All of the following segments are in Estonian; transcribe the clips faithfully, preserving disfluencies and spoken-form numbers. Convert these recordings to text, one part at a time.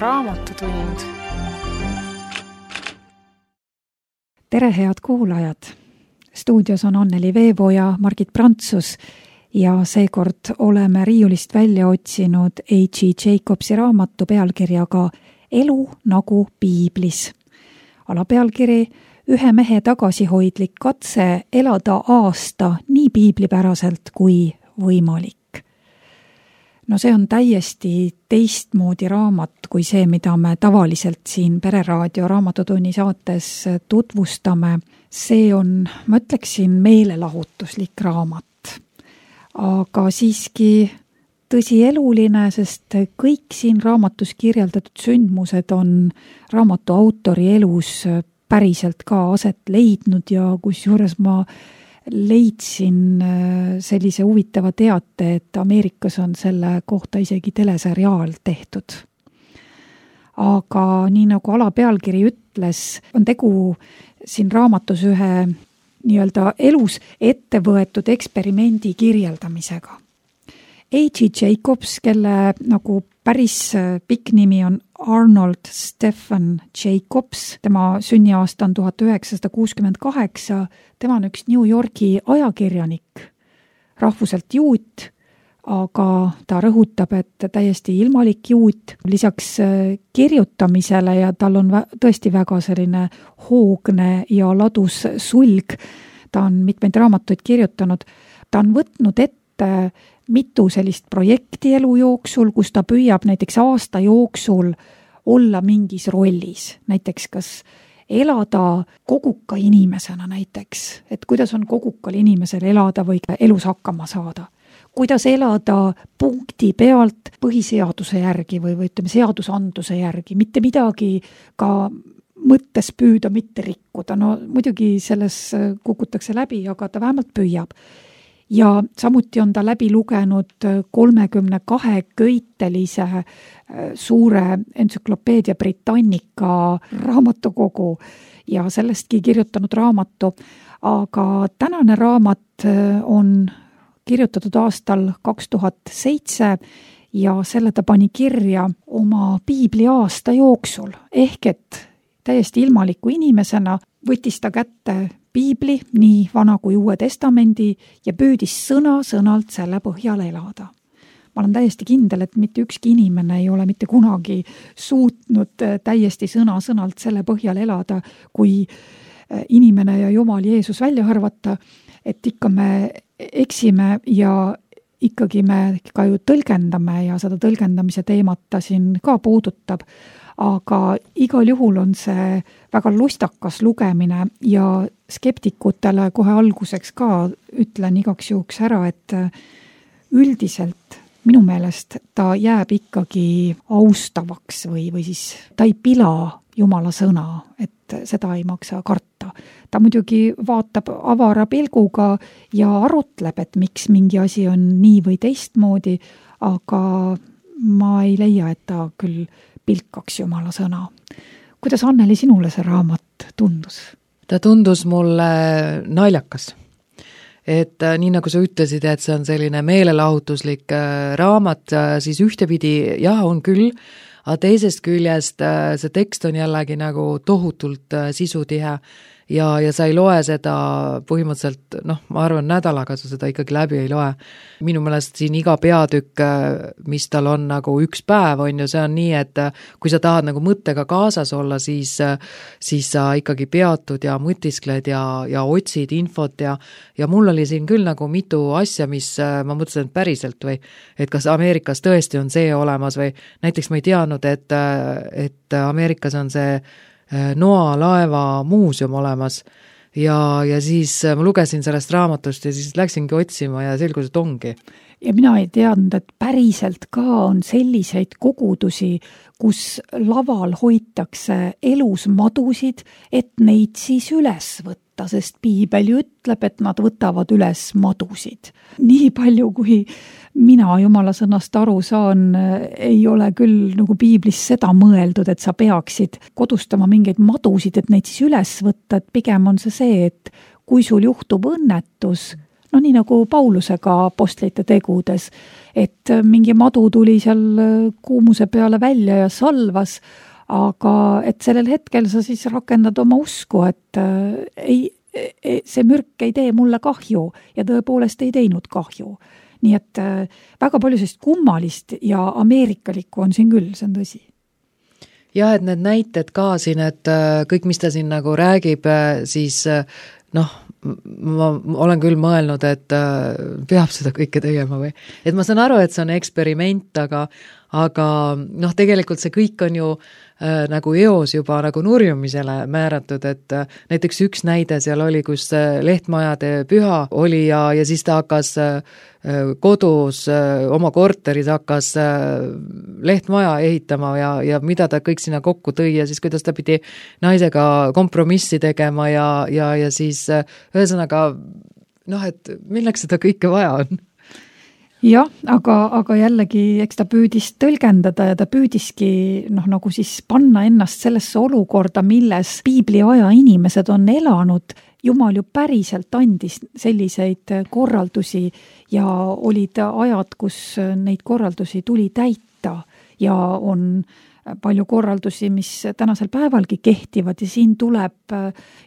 Raamatutund. Tere, head kuulajad! Stuudios on Anneli Veevo ja Margit Prantsus ja seekord oleme riiulist välja otsinud H E Jacobsi raamatu pealkirjaga Elu nagu piiblis. Alapealkiri ühe mehe tagasihoidlik katse elada aasta nii piiblipäraselt kui võimalik. No see on täiesti teistmoodi raamat kui see, mida me tavaliselt siin Pereraadio Raamatutunni saates tutvustame. See on, ma ütleksin, meelelahutuslik raamat. Aga siiski tõsieluline, sest kõik siin raamatus kirjeldatud sündmused on raamatu autori elus päriselt ka aset leidnud ja kusjuures ma leidsin sellise huvitava teate, et Ameerikas on selle kohta isegi teleseriaal tehtud. Aga nii nagu alapealkiri ütles, on tegu siin raamatus ühe nii-öelda elus ettevõetud eksperimendi kirjeldamisega. H E Jacobs, kelle nagu päris pikk nimi on Arnold Stephen Jacobs, tema sünniaasta on tuhat üheksasada kuuskümmend kaheksa, tema on üks New Yorgi ajakirjanik, rahvuselt juut, aga ta rõhutab, et täiesti ilmalik juut, lisaks kirjutamisele ja tal on tõesti väga selline hoogne ja ladus sulg, ta on mitmeid raamatuid kirjutanud, ta on võtnud ette mitu sellist projekti elu jooksul, kus ta püüab näiteks aasta jooksul olla mingis rollis, näiteks kas elada koguka inimesena näiteks, et kuidas on kogukal inimesel elada või elus hakkama saada, kuidas elada punkti pealt põhiseaduse järgi või, või ütleme seadusandluse järgi, mitte midagi ka mõttes püüda mitte rikkuda, no muidugi selles kukutakse läbi, aga ta vähemalt püüab. Ja samuti on ta läbi lugenud kolmekümne kahe köitelise suure entsüklopeedia Britannica raamatukogu ja sellestki kirjutanud raamatu. Aga tänane raamat on kirjutatud aastal kaks tuhat seitse ja selle ta pani kirja oma piibli aasta jooksul. Ehk et täiesti ilmaliku inimesena võttis ta kätte piibli, nii vana kui uue testamendi ja püüdis sõna-sõnalt selle põhjal elada. Ma olen täiesti kindel, et mitte ükski inimene ei ole mitte kunagi suutnud täiesti sõna-sõnalt selle põhjal elada, kui inimene ja Jumal Jeesus välja arvata, et ikka me eksime ja ikkagi me ka ju tõlgendame ja seda tõlgendamise teemat ta siin ka puudutab. Aga igal juhul on see väga lustakas lugemine ja skeptikutele kohe alguseks ka ütlen igaks juhuks ära, et üldiselt minu meelest ta jääb ikkagi austavaks või, või siis ta ei pila Jumala sõna, et seda ei maksa karta. Ta muidugi vaatab avara pilguga ja arutleb, et miks mingi asi on nii või teistmoodi, aga ma ei leia, et ta küll pilkaks Jumala sõna. Kuidas, Anneli, sinule see raamat tundus? Ta tundus mulle naljakas. Et nii nagu sa ütlesid, et see on selline meelelahutuslik raamat, siis ühtepidi jah, on küll, aga teisest küljest see tekst on jällegi nagu tohutult sisutihe ja, ja sa ei loe seda põhimõtteliselt, noh, ma arvan, nädalaga sa seda ikkagi läbi ei loe. Minu meelest siin iga peatükk, mis tal on nagu üks päev, on ju, see on nii, et kui sa tahad nagu mõttega kaasas olla, siis, siis sa ikkagi peatud ja mõtiskled ja, ja otsid infot ja, ja mul oli siin küll nagu mitu asja, mis ma mõtlesin, et päriselt või, et kas Ameerikas tõesti on see olemas või näiteks ma ei teadnud, et, et Ameerikas on see Noa laeva muuseum olemas ja, ja siis ma lugesin sellest raamatust ja siis läksingi otsima ja selgus, et ongi. Ja mina ei teadnud, et päriselt ka on selliseid kogudusi, kus laval hoitakse elus madusid, et neid siis üles võtta, sest piibel ju ütleb, et nad võtavad üles madusid. Nii palju, kui mina Jumala sõnast aru saan, ei ole küll nagu piiblis seda mõeldud, et sa peaksid kodustama mingeid madusid, et neid siis üles võtta, et pigem on see see, et kui sul juhtub õnnetus, no nii nagu Paulusega apostlite tegudes, et mingi madu tuli seal kuumuse peale välja ja salvas, aga et sellel hetkel sa siis rakendad oma usku, et ei, see mürk ei tee mulle kahju ja tõepoolest ei teinud kahju. Nii et väga palju sellist kummalist ja ameerikalikku on siin küll, see on tõsi. Jah, et need näited ka siin, et kõik, mis ta siin nagu räägib, siis noh, ma olen küll mõelnud, et peab seda kõike tegema või. Et ma saan aru, et see on eksperiment, aga, aga noh, tegelikult see kõik on ju äh, nagu eos juba nagu nurjumisele määratud, et äh, näiteks üks näide seal oli, kus äh, lehtmajade püha oli ja, ja siis ta hakkas äh, kodus äh, oma korteris hakkas äh, lehtmaja ehitama ja, ja mida ta kõik sinna kokku tõi ja siis kuidas ta pidi naisega kompromissi tegema ja, ja, ja siis äh, ühesõnaga noh, et milleks seda kõike vaja on? Jah, aga, aga jällegi, eks ta püüdis tõlgendada ja ta püüdiski noh, nagu siis panna ennast sellesse olukorda, milles piibli aja inimesed on elanud. Jumal ju päriselt andis selliseid korraldusi ja olid ajad, kus neid korraldusi tuli täita ja on palju korraldusi, mis tänasel päevalgi kehtivad ja siin tuleb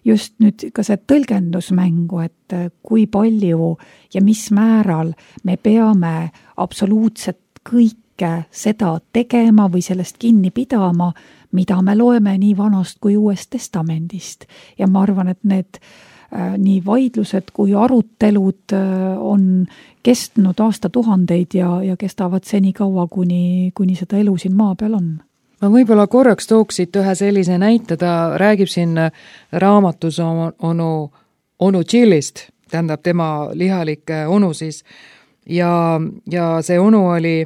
just nüüd ka see tõlgendusmängu, et kui palju ja mis määral me peame absoluutselt kõike seda tegema või sellest kinni pidama, mida me loeme nii vanast kui uuest testamendist. Ja ma arvan, et need nii vaidlused kui arutelud on kestnud aastatuhandeid ja, ja kestavad seni kaua, kuni, kuni seda elu siin maa peal on. Ma võib-olla korraks tooksid ühe sellise näite, ta räägib siin raamatus onu, onu Jillist, tähendab tema lihalik onu siis, ja, ja see onu oli,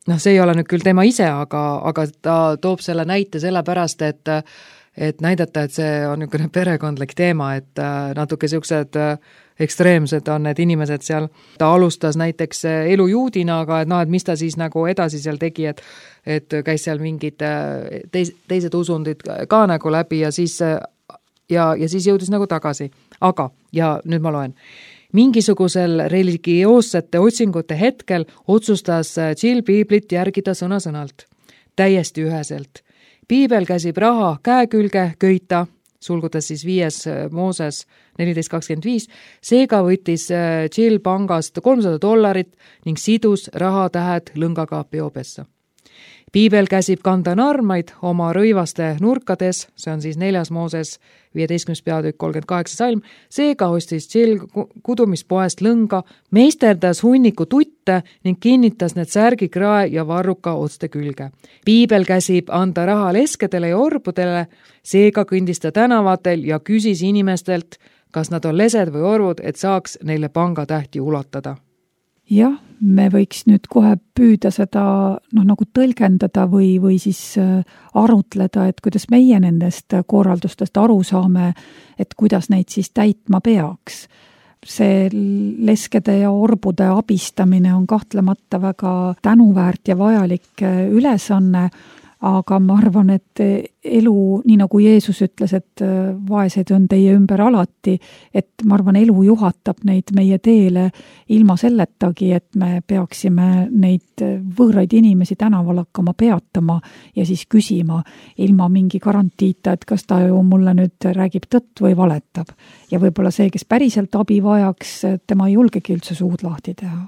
noh, see ei ole nüüd küll tema ise, aga, aga ta toob selle näite sellepärast, et, et näidata, et see on niisugune perekondlik teema, et natuke siuksed ekstreemsed on need inimesed seal. Ta alustas näiteks elu juudina, aga et noh, et mis ta siis nagu edasi seal tegi, et, et käis seal mingid teis, teised usundid ka nagu läbi ja siis, ja, ja siis jõudis nagu tagasi. Aga, ja nüüd ma loen, mingisugusel religioossete otsingute hetkel otsustas Jill piiblit järgida sõna-sõnalt, täiesti üheselt. Piibel käsib raha käekülge köita, sulgutas siis viies Mooses neliteist kakskümmend viis, seega võttis Jill pangast kolmsada dollarit ning sidus rahatähed lõngaga peopessa. Piibel käsib kanda narmaid oma rõivaste nurkades, see on siis neljas Mooses viieteistkümnes peatükk kolmkümmend kaheksa salm, seega ostis Jill kudumispoest lõnga, meisterdas hunniku tutte ning kinnitas need särgikrae ja varruka otste külge. Piibel käsib anda raha leskedele ja orbudele, seega kõndis ta tänavatel ja küsis inimestelt, kas nad on lesed või orvud, et saaks neile pangatähti ulatada. Jah, me võiks nüüd kohe püüda seda noh, nagu tõlgendada või, või siis arutleda, et kuidas meie nendest korraldustest aru saame, et kuidas neid siis täitma peaks. See leskede ja orbude abistamine on kahtlemata väga tänuväärt ja vajalik ülesanne, aga ma arvan, et elu, nii nagu Jeesus ütles, et vaesed on teie ümber alati, et ma arvan, elu juhatab neid meie teele ilma selletagi, et me peaksime neid võõraid inimesi tänaval hakkama peatama ja siis küsima ilma mingi garantiita, et kas ta ju mulle nüüd räägib tõtt või valetab. Ja võib-olla see, kes päriselt abi vajaks, tema ei julgegi üldse suud lahti teha.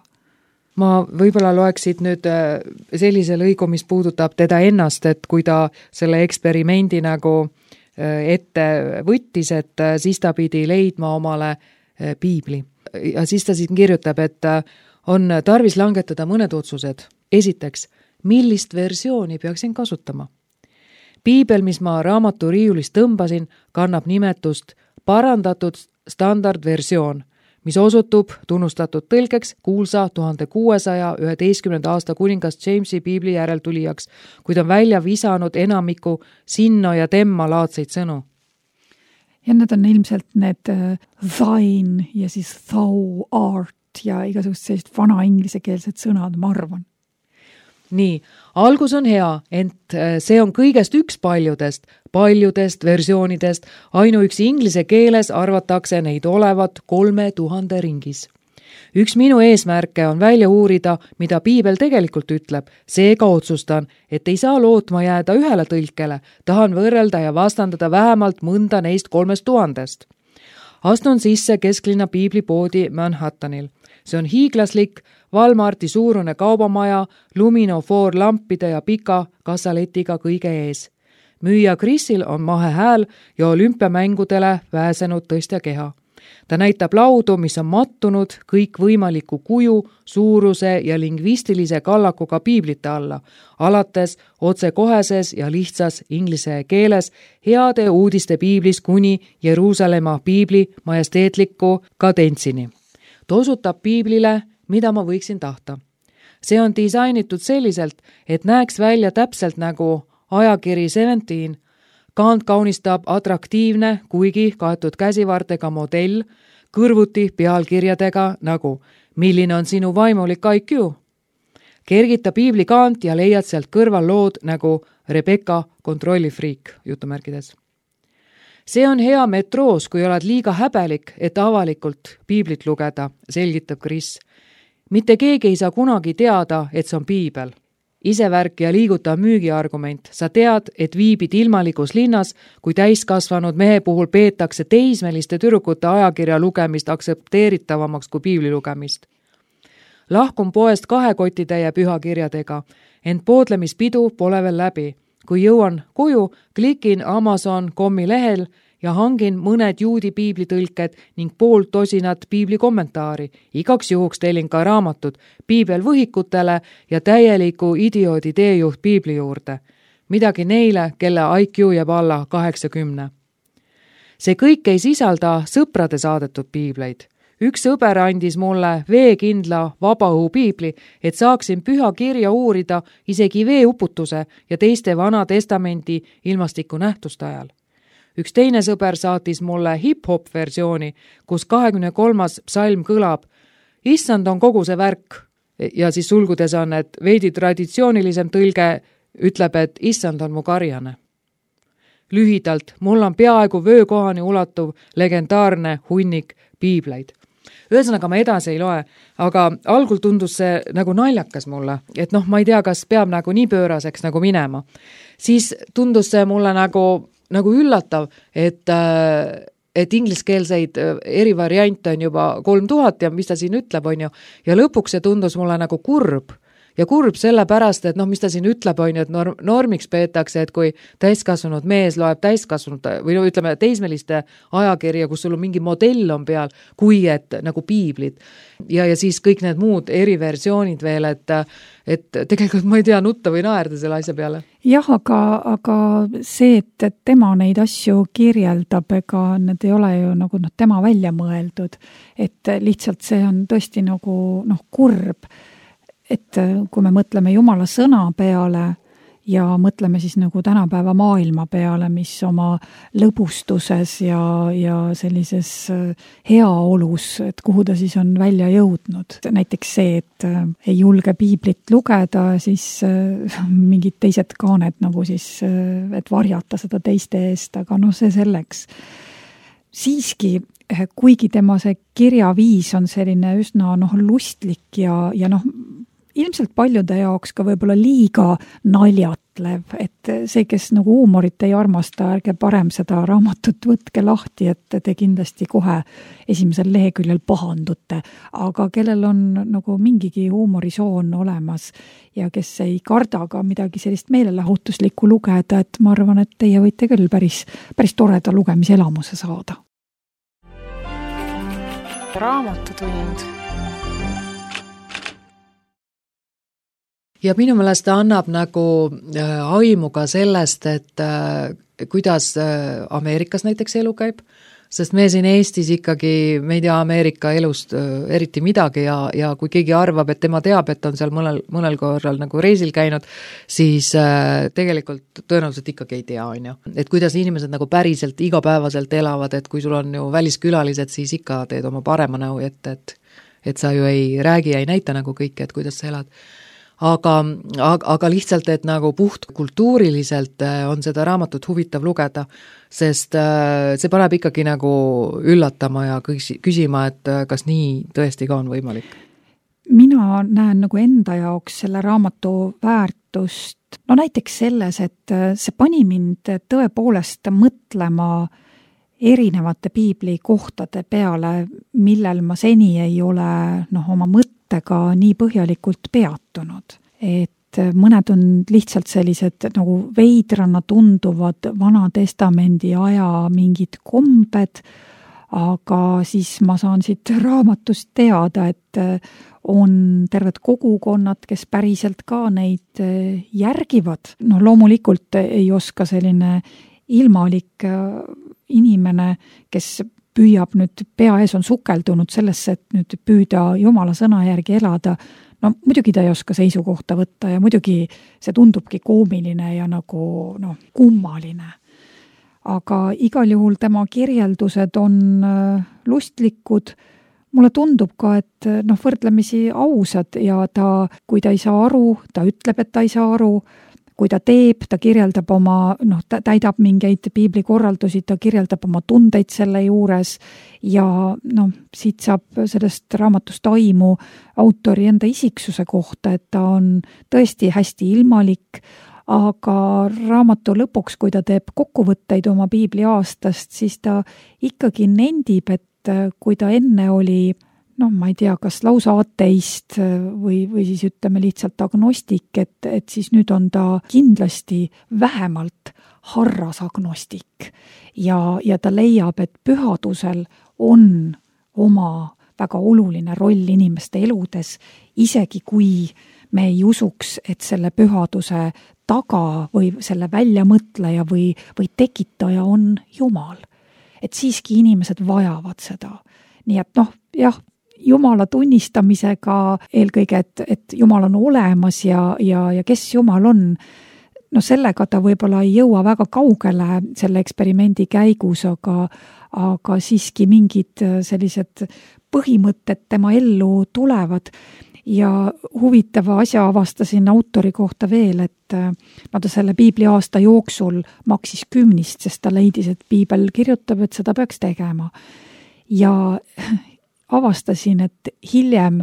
Ma võib-olla loeksid nüüd sellise lõigu, mis puudutab teda ennast, et kui ta selle eksperimendi nagu ette võttis, et siis ta pidi leidma omale piibli. Ja siis ta siin kirjutab, et on tarvis langetada mõned otsused. Esiteks, millist versiooni peaksin kasutama? Piibel, mis ma raamatu riiulist tõmbasin, kannab nimetust parandatud standardversioon, mis osutub tunnustatud tõlgeks kuulsa tuhande kuuesaja üheteistkümnenda aasta kuningast Jamesi piibli järeltulijaks, kuid on välja visanud enamiku sinno ja temma laadseid sõnu. Ja need on ilmselt need thine ja siis thou art ja igasugused sellised vana inglisekeelsed sõnad, ma arvan. Nii, algus on hea, ent see on kõigest üks paljudest, paljudest versioonidest, ainuüksi inglise keeles arvatakse neid olevat kolme tuhande ringis. Üks minu eesmärke on välja uurida, mida piibel tegelikult ütleb, seega otsustan, et ei saa lootma jääda ühele tõlkele, tahan võrrelda ja vastandada vähemalt mõnda neist kolmest tuhandest. Astun sisse kesklinna piiblipoodi Manhattanil. See on hiiglaslik, Walmarti suurune kaubamaja, luminofoor lampide ja pika kassaletiga kõige ees. Müüja Chrisil on mahe hääl ja olümpiamängudele pääsenud tõstja keha. Ta näitab laudu, mis on mattunud kõikvõimaliku kuju, suuruse ja lingvistilise kallakuga piiblite alla, alates otsekoheses ja lihtsas inglise keeles heade uudiste piiblis kuni Jeruusalemma piibli majesteetliku kadentsini. Ta osutab piiblile, mida ma võiksin tahta. See on disainitud selliselt, et näeks välja täpselt nagu ajakiri seventeen, Kant kaunistab atraktiivne, kuigi kaetud käsivartega modell, kõrvuti pealkirjadega nagu milline on sinu vaimulik I Q. Kergita piibli Kant ja leiad sealt kõrval lood nagu Rebecca kontrollifriik jutumärkides. See on hea metroos, kui oled liiga häbelik, et avalikult piiblit lugeda, selgitab Chris. Mitte keegi ei saa kunagi teada, et see on piibel. Isevärk ja liiguta müügiargument. Sa tead, et viibid ilmalikus linnas, kui täiskasvanud mehe puhul peetakse teismeliste tüdrukute ajakirja lugemist aksepteeritavamaks kui piibli lugemist. Lahkun poest kahe kotitäie pühakirjadega, ent poodlemispidu pole veel läbi. Kui jõuan koju, klikin Amazon punkt comi lehel ja hangin mõned juudi piiblitõlked ning pool tosinat piibli kommentaari. Igaks juhuks tellin ka raamatud piibel võhikutele ja täieliku idioodi teejuht piibli juurde. Midagi neile, kelle I Q jääb alla kaheksakümne. See kõik ei sisalda sõprade saadetud piibleid. Üks sõber andis mulle veekindla vabaõhu piibli, et saaksin püha kirja uurida isegi veeuputuse ja teiste vana testamendi ilmastiku nähtuste ajal. Üks teine sõber saatis mulle hip-hop versiooni, kus kahekümne kolmas psalm kõlab Issand on kogu see värk ja siis sulgudes on, et veidi traditsioonilisem tõlge ütleb, et Issand on mu karjane. Lühidalt, mul on peaaegu vöökohani ulatuv legendaarne hunnik piibleid. Ühesõnaga ma edasi ei loe, aga algul tundus see nagu naljakas mulle, et noh, ma ei tea, kas peab nagu nii pööraseks nagu minema. Siis tundus see mulle nagu, nagu üllatav, et, et ingliskeelseid eri variante on juba kolm tuhat ja mis ta siin ütleb, on ju, ja lõpuks see tundus mulle nagu kurb. Ja kurb sellepärast, et noh, mis ta siin ütleb, on ju, et norm, normiks peetakse, et kui täiskasvanud mees loeb täiskasvanud või no ütleme teismeliste ajakirja, kus sul on mingi modell on peal, kui et nagu piiblit. Ja, ja siis kõik need muud eriversioonid veel, et, et tegelikult ma ei tea nutta või naerda selle asja peale. Jah, aga, aga see, et, et tema neid asju kirjeldab, ega need ei ole ju nagu noh, tema välja mõeldud, et lihtsalt see on tõesti nagu noh, kurb. Et kui me mõtleme Jumala sõna peale ja mõtleme siis nagu tänapäeva maailma peale, mis oma lõbustuses ja, ja sellises heaolus, et kuhu ta siis on välja jõudnud. Näiteks see, et ei julge piiblit lugeda, siis mingid teised kaaned nagu siis, et varjata seda teiste eest, aga noh, see selleks. Siiski, kuigi tema see kirjaviis on selline üsna noh, lustlik ja, ja noh, ilmselt paljude jaoks ka võib-olla liiga naljatlev, et see, kes nagu huumorit ei armasta, ärge parem seda raamatut võtke lahti, et te kindlasti kohe esimesel leheküljel pahandute, aga kellel on nagu mingigi huumorisoon olemas ja kes ei karda ka midagi sellist meelelahutuslikku lugeda, et ma arvan, et teie võite küll päris, päris toreda lugemiselamuse saada. Raamatutund. Ja minu meelest ta annab nagu aimu ka sellest, et kuidas Ameerikas näiteks elu käib, sest me siin Eestis ikkagi, me ei tea Ameerika elust eriti midagi ja, ja kui keegi arvab, et tema teab, et on seal mõnel, mõnel korral nagu reisil käinud, siis tegelikult tõenäoliselt ikkagi ei tea, on ju. Et kuidas inimesed nagu päriselt igapäevaselt elavad, et kui sul on ju väliskülalised, siis ikka teed oma parema näu ette, et, et sa ju ei räägi ja ei näita nagu kõike, et kuidas sa elad. aga, aga, aga lihtsalt, et nagu puht kultuuriliselt on seda raamatut huvitav lugeda, sest see paneb ikkagi nagu üllatama ja küsima, et kas nii tõesti ka on võimalik. Mina näen nagu enda jaoks selle raamatu väärtust, no näiteks selles, et see pani mind tõepoolest mõtlema erinevate piibli kohtade peale, millel ma seni ei ole noh, oma mõttega nii põhjalikult peatunud. Et mõned on lihtsalt sellised nagu veidrana tunduvad Vana Testamendi aja mingid kombed, aga siis ma saan siit raamatust teada, et on terved kogukonnad, kes päriselt ka neid järgivad. No loomulikult ei oska selline ilmalik inimene, kes püüab nüüd, pea ees on sukeldunud sellesse, et nüüd püüda Jumala sõna järgi elada, no muidugi ta ei oska seisukohta võtta ja muidugi see tundubki koomiline ja nagu noh, kummaline. Aga igal juhul tema kirjeldused on lustlikud. Mulle tundub ka, et noh, võrdlemisi ausad ja ta, kui ta ei saa aru, ta ütleb, et ta ei saa aru, kui ta teeb, ta kirjeldab oma, noh, ta täidab mingeid piibli korraldusi, ta kirjeldab oma tundeid selle juures ja noh, siit saab sellest raamatust aimu autori enda isiksuse kohta, et ta on tõesti hästi ilmalik, aga raamatu lõpuks, kui ta teeb kokkuvõtteid oma piibli aastast, siis ta ikkagi nendib, et kui ta enne oli noh, ma ei tea, kas lausa ateist või, või siis ütleme lihtsalt agnostik, et, et siis nüüd on ta kindlasti vähemalt harras agnostik ja, ja ta leiab, et pühadusel on oma väga oluline roll inimeste eludes, isegi kui me ei usuks, et selle pühaduse taga või selle väljamõtleja või, või tekitaja on Jumal. Et siiski inimesed vajavad seda. Nii et noh, jah, Jumala tunnistamisega eelkõige, et, et Jumal on olemas ja, ja, ja kes Jumal on, no sellega ta võib-olla ei jõua väga kaugele selle eksperimendi käigus, aga, aga siiski mingid sellised põhimõtted tema ellu tulevad. Ja huvitava asja avastasin autori kohta veel, et no ta selle piibli aasta jooksul maksis kümnist, sest ta leidis, et piibel kirjutab, et seda peaks tegema. Ja avastasin, et hiljem,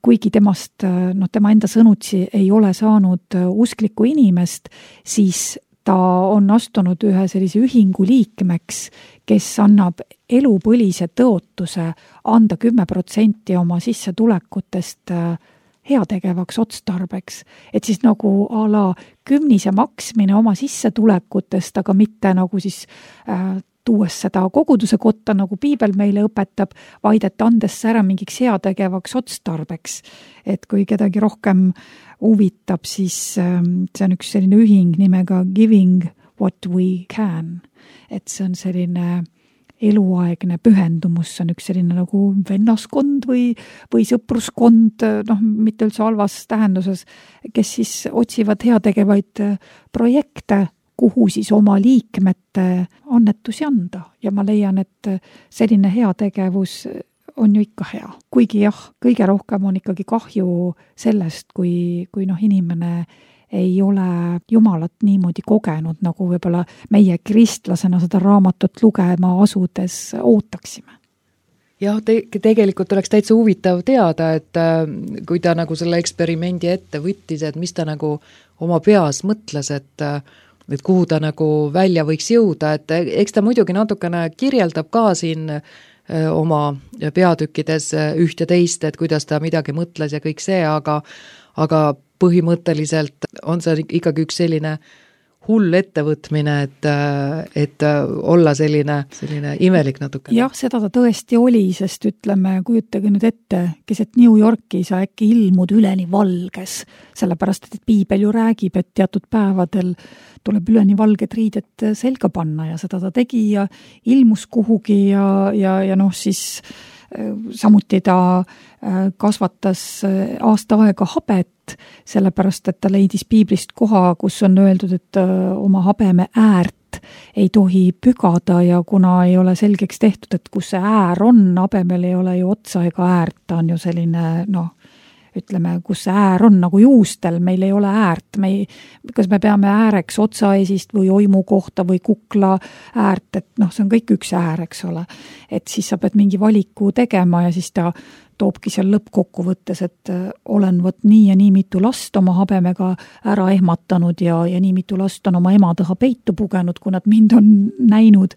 kuigi temast, noh, tema enda sõnutsi ei ole saanud usklikku inimest, siis ta on astunud ühe sellise ühingu liikmeks, kes annab elupõlise tõotuse anda kümme protsenti oma sissetulekutest heategevaks otstarbeks. Et siis nagu a la kümnise maksmine oma sissetulekutest, aga mitte nagu siis äh, tuues seda koguduse kotta, nagu piibel meile õpetab, vaid et andes ära mingiks heategevaks otstarbeks. Et kui kedagi rohkem huvitab, siis see on üks selline ühing nimega Giving What We Can. Et see on selline eluaegne pühendumus, see on üks selline nagu vennaskond või, või sõpruskond, noh, mitte üldse halvas tähenduses, kes siis otsivad heategevaid projekte, kuhu siis oma liikmete annetusi anda. Ja ma leian, et selline heategevus on ju ikka hea. Kuigi jah, kõige rohkem on ikkagi kahju sellest, kui, kui noh, inimene ei ole Jumalat niimoodi kogenud, nagu võib-olla meie kristlasena seda raamatut lugema asudes ootaksime. Jah, te- tegelikult oleks täitsa huvitav teada, et äh, kui ta nagu selle eksperimendi ette võttis, et mis ta nagu oma peas mõtles, et äh, et kuhu ta nagu välja võiks jõuda, et eks ta muidugi natukene kirjeldab ka siin oma peatükkides üht ja teist, et kuidas ta midagi mõtles ja kõik see, aga, aga põhimõtteliselt on see ikkagi üks selline hull ettevõtmine, et, et olla selline, selline imelik natuke. Jah, seda ta tõesti oli, sest ütleme, kujutage nüüd ette, keset New Yorki sa äkki ilmud üleni valges, sellepärast, et piibel ju räägib, et teatud päevadel tuleb üleni valged riided selga panna ja seda ta tegi ja ilmus kuhugi ja, ja, ja noh, siis samuti ta kasvatas aasta aega habet, sellepärast, et ta leidis piiblist koha, kus on öeldud, et oma habeme äärt ei tohi pügada ja kuna ei ole selgeks tehtud, et kus see äär on, habemel ei ole ju otsa ega äärt, ta on ju selline, noh, ütleme, kus see äär on nagu juustel, meil ei ole äärt, me ei, kas me peame ääreks otsaesist või oimu kohta või kukla äärt, et noh, see on kõik üks äär, eks ole. Et siis sa pead mingi valiku tegema ja siis ta toobki seal lõppkokkuvõttes, et olen võt nii ja nii mitu last oma habemega ära ehmatanud ja, ja nii mitu last on oma ema taha peitu pugenud, kui nad mind on näinud,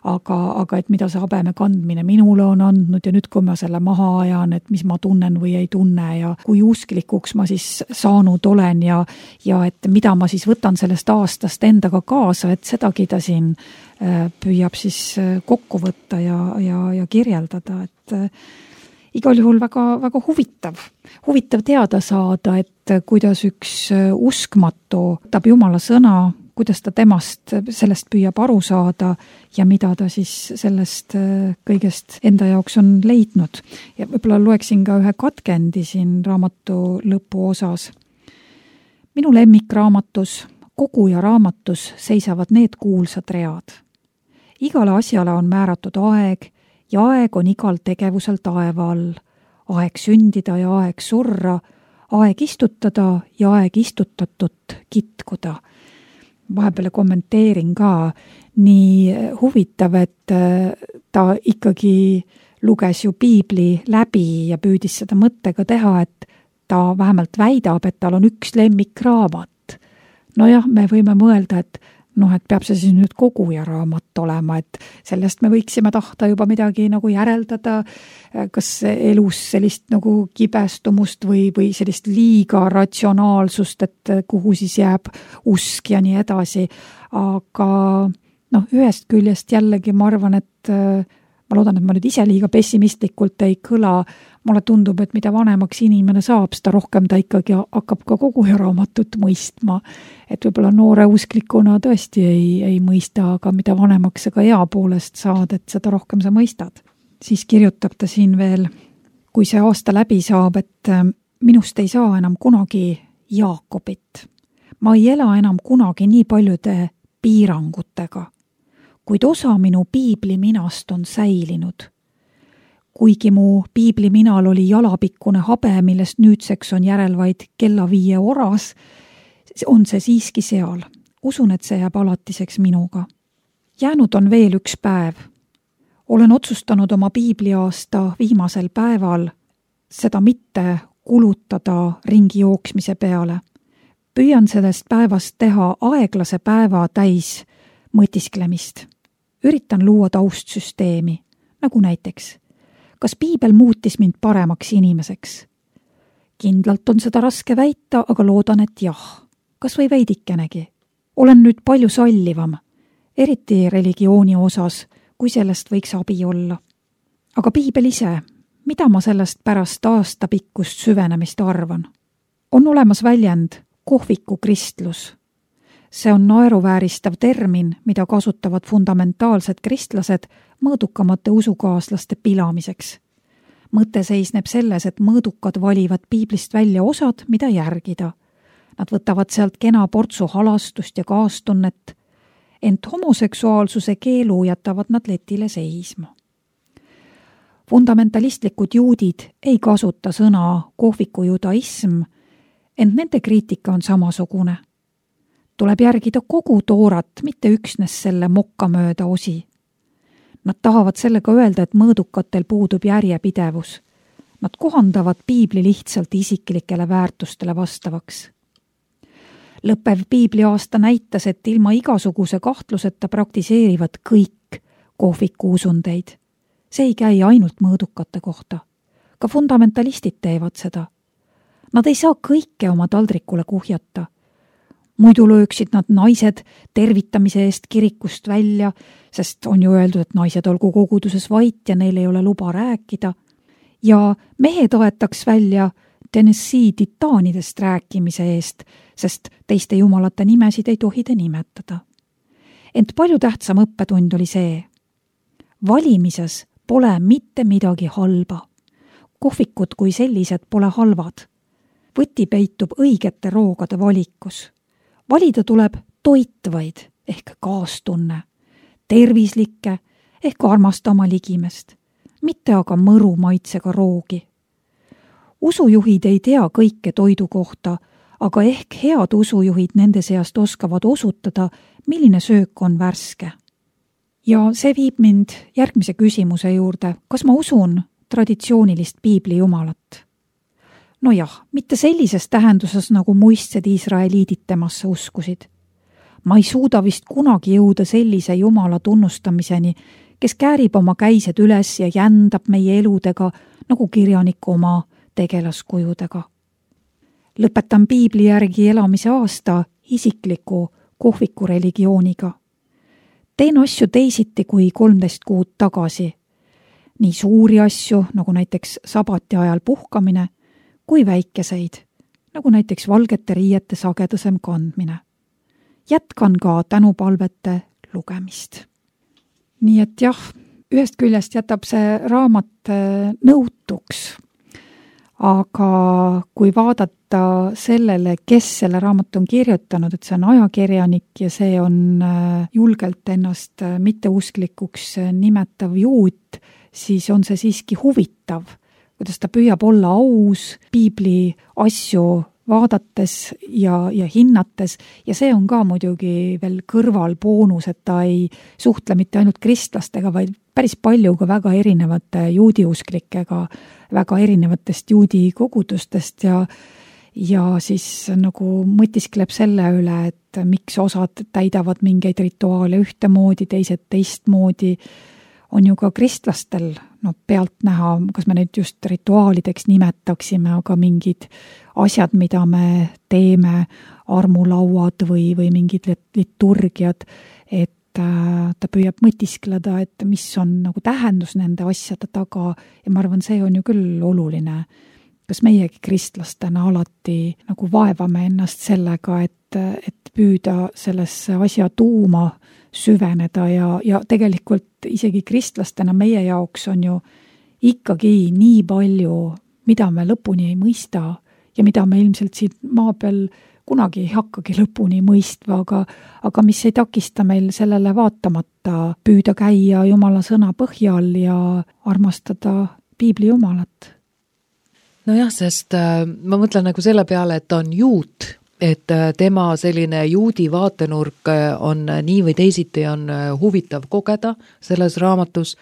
aga, aga et mida see habeme kandmine minule on andnud ja nüüd, kui ma selle maha ajan, et mis ma tunnen või ei tunne ja kui usklikuks ma siis saanud olen ja, ja et mida ma siis võtan sellest aastast endaga kaasa, et sedagi ta siin püüab siis kokku võtta ja, ja, ja kirjeldada, et igal juhul väga, väga huvitav. Huvitav teada saada, et kuidas üks uskmatu võtab Jumala sõna, kuidas ta temast sellest püüab aru saada ja mida ta siis sellest kõigest enda jaoks on leidnud. Ja võib-olla loeksin ka ühe katkendi siin raamatu lõpu osas. Minu lemmikraamatus, kogu ja raamatus seisavad need kuulsad read. Igale asjale on määratud aeg, ja aeg on igal tegevusel taeva all, aeg sündida ja aeg surra, aeg istutada ja aeg istutatut kitkuda. Vahepeale kommenteerin ka, nii huvitav, et ta ikkagi luges ju piibli läbi ja püüdis seda mõttega teha, et ta vähemalt väidab, et tal on üks lemmikraamat. Nojah, me võime mõelda, et noh, et peab see siis nüüd kogu ja raamat olema, et sellest me võiksime tahta juba midagi nagu järeldada, kas elus sellist nagu kibestumust või, või sellist liiga ratsionaalsust, et kuhu siis jääb usk ja nii edasi. Aga noh, ühest küljest jällegi ma arvan, et ma loodan, et ma nüüd ise liiga pessimistlikult ei kõla. Mulle tundub, et mida vanemaks inimene saab, seda rohkem ta ikkagi hakkab ka kogu ja raamatut mõistma. Et võib-olla noore usklikuna tõesti ei, ei mõista, aga mida vanemaks sa ka ea poolest saad, et seda rohkem sa mõistad. Siis kirjutab ta siin veel, kui see aasta läbi saab, et minust ei saa enam kunagi Jaakobit. Ma ei ela enam kunagi nii paljude piirangutega, kuid osa minu piibli minast on säilinud. Kuigi mu piibli minal oli jalapikkune habe, millest nüüdseks on järel vaid kella viie oras, on see siiski seal. Usun, et see jääb alatiseks minuga. Jäänud on veel üks päev. Olen otsustanud oma piibliaasta viimasel päeval seda mitte kulutada ringi jooksmise peale. Püüan sellest päevast teha aeglase päeva täis mõtisklemist. Üritan luua taustsüsteemi, nagu näiteks kas piibel muutis mind paremaks inimeseks? Kindlalt on seda raske väita, aga loodan, et jah. Kas või veidikenegi? Olen nüüd palju sallivam, eriti religiooni osas, kui sellest võiks abi olla. Aga piibel ise, mida ma sellest pärast aastapikkust süvenemist arvan? On olemas väljend kohviku kristlus. See on naeruvääristav termin, mida kasutavad fundamentaalsed kristlased mõõdukamate usukaaslaste pilamiseks. Mõte seisneb selles, et mõõdukad valivad piiblist välja osad, mida järgida. Nad võtavad sealt kena portsu halastust ja kaastunnet, ent homoseksuaalsuse keelu jätavad nad letile seisma. Fundamentalistlikud juudid ei kasuta sõna kohviku judaism, ent nende kriitika on samasugune. Tuleb järgida kogu toorat, mitte üksnes selle mokkamööda osi. Nad tahavad sellega öelda, et mõõdukatel puudub järjepidevus. Nad kohandavad piibli lihtsalt isiklikele väärtustele vastavaks. Lõppev piibliaasta näitas, et ilma igasuguse kahtluseta praktiseerivad kõik kohviku usundeid. See ei käi ainult mõõdukate kohta. Ka fundamentalistid teevad seda. Nad ei saa kõike oma taldrikule kuhjata. Muidu lööksid nad naised tervitamise eest kirikust välja, sest on ju öeldud, et naised olgu koguduses vait ja neil ei ole luba rääkida. Ja mehed aetaks välja Tennessee titaanidest rääkimise eest, sest teiste jumalate nimesid ei tohi te nimetada. Ent palju tähtsam õppetund oli see. Valimises pole mitte midagi halba. Kohvikud kui sellised pole halvad. Võti peitub õigete roogade valikus. Valida tuleb toitvaid ehk kaastunne, tervislikke ehk armasta oma ligimest, mitte aga mõru maitsega roogi. usujuhid ei tea kõike toidu kohta, aga ehk head usujuhid nende seast oskavad osutada, milline söök on värske. Ja see viib mind järgmise küsimuse juurde, kas ma usun traditsioonilist piibli jumalat? No jah, mitte sellises tähenduses, nagu muistsed Iisraeliidid temasse uskusid. Ma ei suuda vist kunagi jõuda sellise jumala tunnustamiseni, kes käärib oma käised üles ja jändab meie eludega, nagu kirjanik oma tegelaskujudega. Lõpetan piibli järgi elamise aasta isikliku kohviku religiooniga. Teen asju teisiti kui kolmteist kuud tagasi. Nii suuri asju, nagu näiteks sabati ajal puhkamine, kui väikeseid, nagu näiteks valgete riiete sagedasem kandmine. Jätkan ka tänupalvete lugemist. Nii et jah, ühest küljest jätab see raamat nõutuks, aga kui vaadata sellele, kes selle raamat on kirjutanud, et see on ajakirjanik ja see on julgelt ennast mitteusklikuks nimetav juut, siis on see siiski huvitav, kuidas ta püüab olla aus piibli asju vaadates ja, ja hinnates ja see on ka muidugi veel kõrval boonus, et ta ei suhtle mitte ainult kristlastega, vaid päris palju ka väga erinevate juudiusklikega, väga erinevatest juudi kogudustest ja, ja siis nagu mõtiskleb selle üle, et miks osad täidavad mingeid rituaale ühtemoodi, teised teistmoodi. On ju ka kristlastel no, pealt näha, kas me neid just rituaalideks nimetaksime, aga mingid asjad, mida me teeme, armulauad või, või mingid liturgiad, et äh, ta püüab mõtiskleda, et mis on nagu tähendus nende asjade taga ja ma arvan, see on ju küll oluline. Kas meiegi kristlastena alati nagu vaevame ennast sellega, et, et püüda sellesse asja tuuma süveneda ja, ja tegelikult isegi kristlastena meie jaoks on ju ikkagi nii palju, mida me lõpuni ei mõista ja mida me ilmselt siit maa peal kunagi ei hakkagi lõpuni mõistma, aga, aga mis ei takista meil sellele vaatamata püüda käia Jumala sõna põhjal ja armastada piibli Jumalat. Nojah, sest äh, ma mõtlen nagu selle peale, et on juut, et tema selline juudi vaatenurk on nii või teisiti on huvitav kogeda selles raamatus,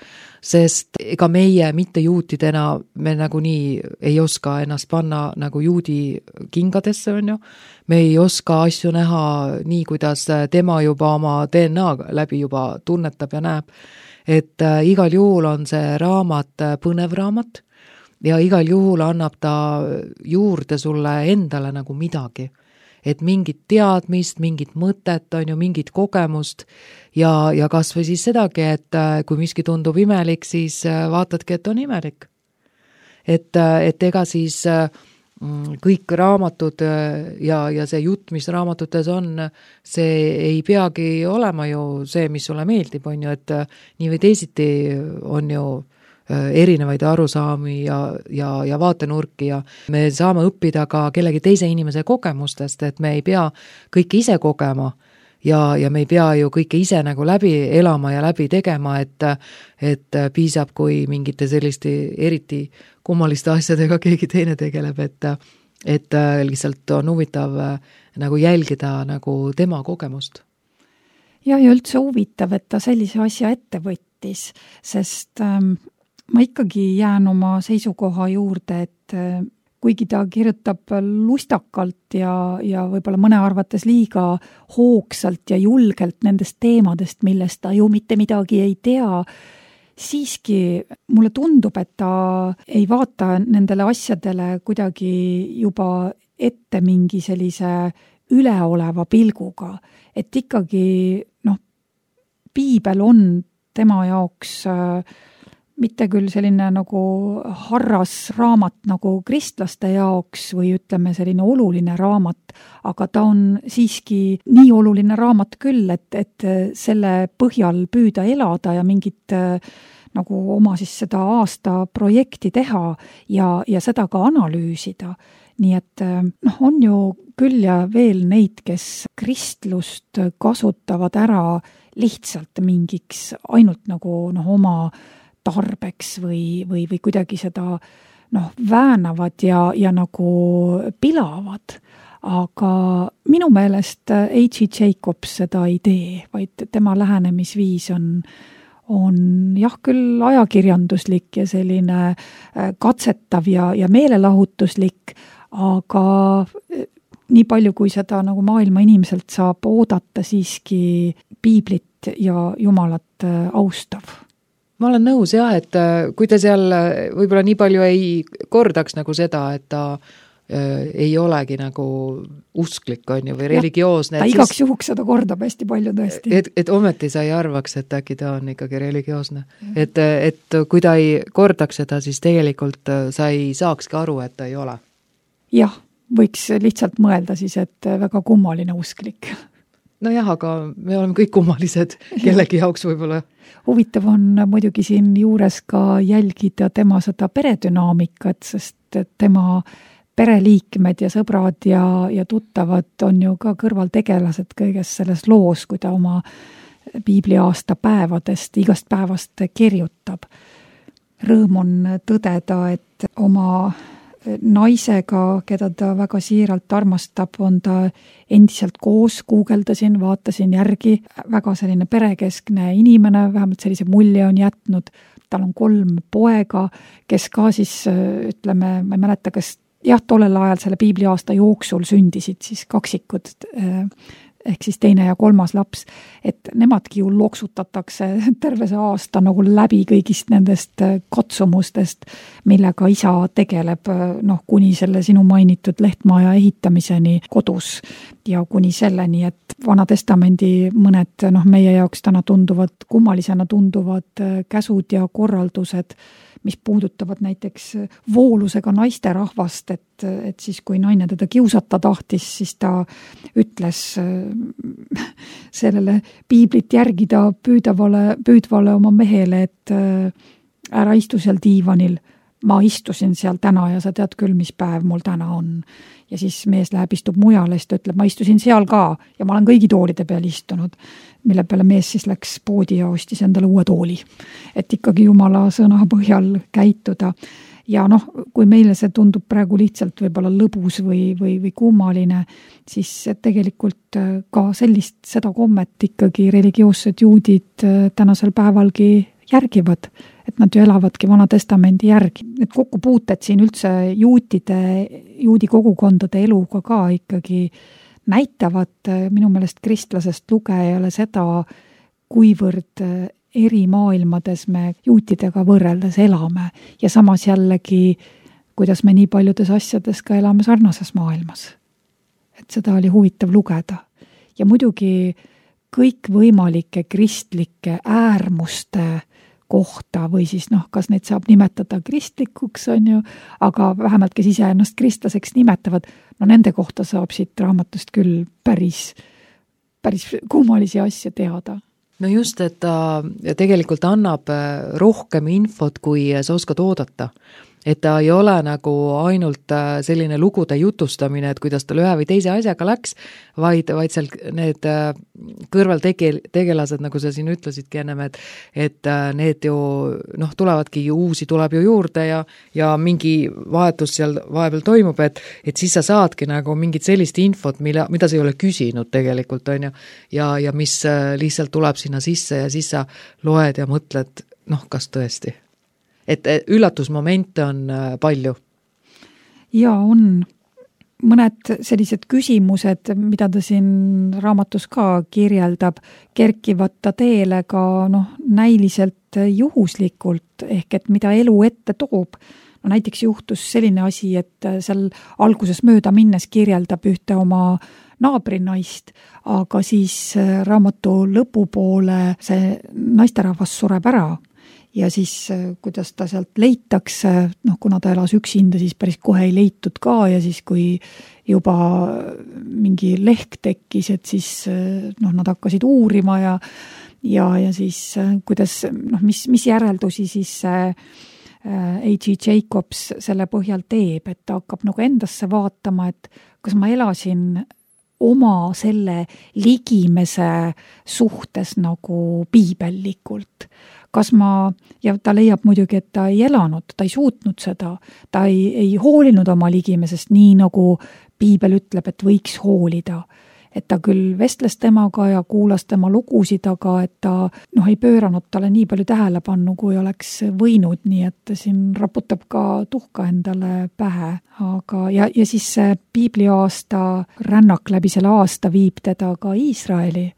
sest ega meie mitte juutidena me nagu nii ei oska ennast panna nagu juudi kingadesse, on ju. Me ei oska asju näha nii, kuidas tema juba oma D N A läbi juba tunnetab ja näeb. Et igal juhul on see raamat põnev raamat ja igal juhul annab ta juurde sulle endale nagu midagi. Et mingit teadmist, mingit mõtet, on ju mingit kogemust ja, ja kas või siis sedagi, et kui miski tundub imelik, siis vaatadki, et on imelik. Et, et ega siis kõik raamatud ja, ja see jutt, mis raamatutes on, see ei peagi olema ju see, mis sulle meeldib, on ju, et nii või teisiti on ju erinevaid arusaami ja, ja, ja vaatenurki ja me saame õppida ka kellegi teise inimese kogemustest, et me ei pea kõike ise kogema ja, ja me ei pea ju kõike ise nagu läbi elama ja läbi tegema, et, et piisab, kui mingite selliste eriti kummaliste asjadega keegi teine tegeleb, et, et lihtsalt on huvitav nagu jälgida nagu tema kogemust. Ja, ja üldse huvitav, et ta sellise asja ette võttis, sest ähm, ma ikkagi jään oma seisukoha juurde, et kuigi ta kirjutab lustakalt ja, ja võib-olla mõne arvates liiga hoogsalt ja julgelt nendest teemadest, millest ta ju mitte midagi ei tea, siiski mulle tundub, et ta ei vaata nendele asjadele kuidagi juba ette mingi sellise üleoleva pilguga, et ikkagi noh, piibel on tema jaoks äh, mitte küll selline nagu harras raamat nagu kristlaste jaoks või ütleme selline oluline raamat, aga ta on siiski nii oluline raamat küll, et, et selle põhjal püüda elada ja mingit nagu oma siis seda aasta projekti teha ja, ja seda ka analüüsida. Nii et noh, on ju küll ja veel neid, kes kristlust kasutavad ära lihtsalt mingiks ainult nagu noh, oma tarbeks või, või, või kuidagi seda noh, väänavad ja, ja nagu pilavad. Aga minu meelest H J Jacobs seda ei tee, vaid tema lähenemisviis on, on jah küll ajakirjanduslik ja selline katsetav ja, ja meelelahutuslik, aga nii palju, kui seda nagu maailma inimeselt saab oodata, siiski piiblit ja Jumalat austav. Ma olen nõus jah, et kui ta seal võib-olla nii palju ei kordaks nagu seda, et ta ei olegi nagu usklik, on ju, või religioosne. Ta igaks siis, juhuks seda kordab hästi palju tõesti. Et, et ometi sa ei arvaks, et äkki ta on ikkagi religioosne. Et, et kui ta ei kordaks seda, siis tegelikult sa ei saakski aru, et ta ei ole. Jah, võiks lihtsalt mõelda siis, et väga kummaline usklik. No jah, aga me oleme kõik kummalised kellegi jaoks võib-olla. Huvitav on muidugi siin juures ka jälgida tema seda peredünaamikat, sest tema pereliikmed ja sõbrad ja, ja tuttavad on ju ka kõrvaltegelased kõiges selles loos, kui ta oma piibliaasta päevadest, igast päevast kirjutab. Rõõm on tõdeda, et oma naisega, keda ta väga siiralt armastab, on ta endiselt koos, guugeldasin, vaatasin järgi, väga selline perekeskne inimene, vähemalt sellise mulje on jätnud. Tal on kolm poega, kes ka siis, ütleme, ma ei mäleta, kas jah, tollel ajal selle piibliaasta jooksul sündisid siis kaksikud, ehk siis teine ja kolmas laps, et nemadki ju loksutatakse terve see aasta nagu läbi kõigist nendest katsumustest, millega isa tegeleb, noh, kuni selle sinu mainitud lehtmaja ehitamiseni kodus ja kuni selleni, et Vana Testamendi mõned, noh, meie jaoks täna tunduvad, kummalisena tunduvad käsud ja korraldused, mis puudutavad näiteks voolusega naisterahvast, et, et siis kui naine teda kiusata tahtis, siis ta ütles sellele piiblit järgida püüdavale, püüdvale oma mehele, et ära istu seal diivanil, ma istusin seal täna ja sa tead küll, mis päev mul täna on. Ja siis mees läheb, istub mujale, siis ta ütleb, ma istusin seal ka ja ma olen kõigi toolide peal istunud, mille peale mees siis läks poodi ja ostis endale uue tooli. Et ikkagi Jumala sõna põhjal käituda. Ja noh, kui meile see tundub praegu lihtsalt võib-olla lõbus või, või, või kummaline, siis tegelikult ka sellist, seda kommet ikkagi religioossed juudid tänasel päevalgi järgivad, et nad ju elavadki Vana Testamendi järgi. Need kokkupuuted siin üldse juutide, juudi kogukondade eluga ka ikkagi näitavad minu meelest kristlasest lugejale seda, kuivõrd eri maailmades me juutidega võrreldes elame ja samas jällegi, kuidas me nii paljudes asjades ka elame sarnases maailmas. Et seda oli huvitav lugeda. Ja muidugi kõik võimalike kristlike äärmuste kohta või siis noh, kas neid saab nimetada kristlikuks, on ju, aga vähemalt kes ise ennast kristlaseks nimetavad, no nende kohta saab siit raamatust küll päris, päris kummalisi asju teada. No just, et ta tegelikult annab rohkem infot, kui sa oskad oodata. Et ta ei ole nagu ainult selline lugude jutustamine, et kuidas tal ühe või teise asjaga läks, vaid, vaid seal need kõrvaltegelased, nagu sa siin ütlesidki ennem, et, et need ju, noh, tulevadki ju uusi, tuleb ju juurde ja, ja mingi vahetus seal vahepeal toimub, et, et siis sa saadki nagu mingit sellist infot, mille, mida sa ei ole küsinud tegelikult, on ju, ja, ja mis lihtsalt tuleb sinna sisse ja siis sa loed ja mõtled, noh, kas tõesti. Et üllatusmomente on palju. Ja on mõned sellised küsimused, mida ta siin raamatus ka kirjeldab, kerkivad ta teele ka noh, näiliselt juhuslikult, ehk et mida elu ette toob. No näiteks juhtus selline asi, et seal alguses mööda minnes kirjeldab ühte oma naabrinaist, aga siis raamatu lõpupoole see naisterahvas sureb ära. Ja siis, kuidas ta sealt leitakse, noh, kuna ta elas üksinda, siis päris kohe ei leitud ka ja siis, kui juba mingi lehk tekkis, et siis noh, nad hakkasid uurima ja, ja, ja siis kuidas, noh, mis, mis järeldusi siis H J Jacobs selle põhjal teeb, et ta hakkab nagu endasse vaatama, et kas ma elasin oma selle ligimese suhtes nagu piibellikult. Kas ma, ja ta leiab muidugi, et ta ei elanud, ta ei suutnud seda, ta ei, ei hoolinud oma ligimesest nii, nagu piibel ütleb, et võiks hoolida. Et ta küll vestles temaga ja kuulas tema lugusid, aga et ta noh, ei pööranud talle nii palju tähelepannu, kui oleks võinud, nii et siin raputab ka tuhka endale pähe. Aga, ja, ja siis see piibliaasta rännak läbi selle aasta viib teda ka Iisraeli.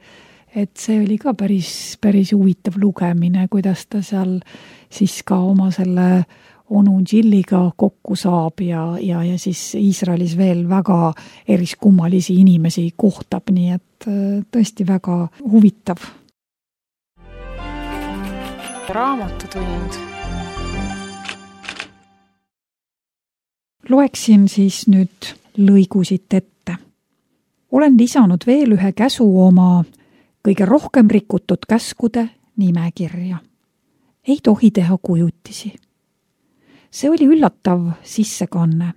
Et see oli ka päris, päris huvitav lugemine, kuidas ta seal siis ka oma selle onu Jilliga kokku saab ja, ja, ja siis Iisraelis veel väga eriskummalisi inimesi kohtab, nii et tõesti väga huvitav. Raamatutund. Loeksin siis nüüd lõigusid ette. Olen lisanud veel ühe käsu oma kõige rohkem rikutud käskude nimekirja. Ei tohi teha kujutisi. See oli üllatav sissekanne.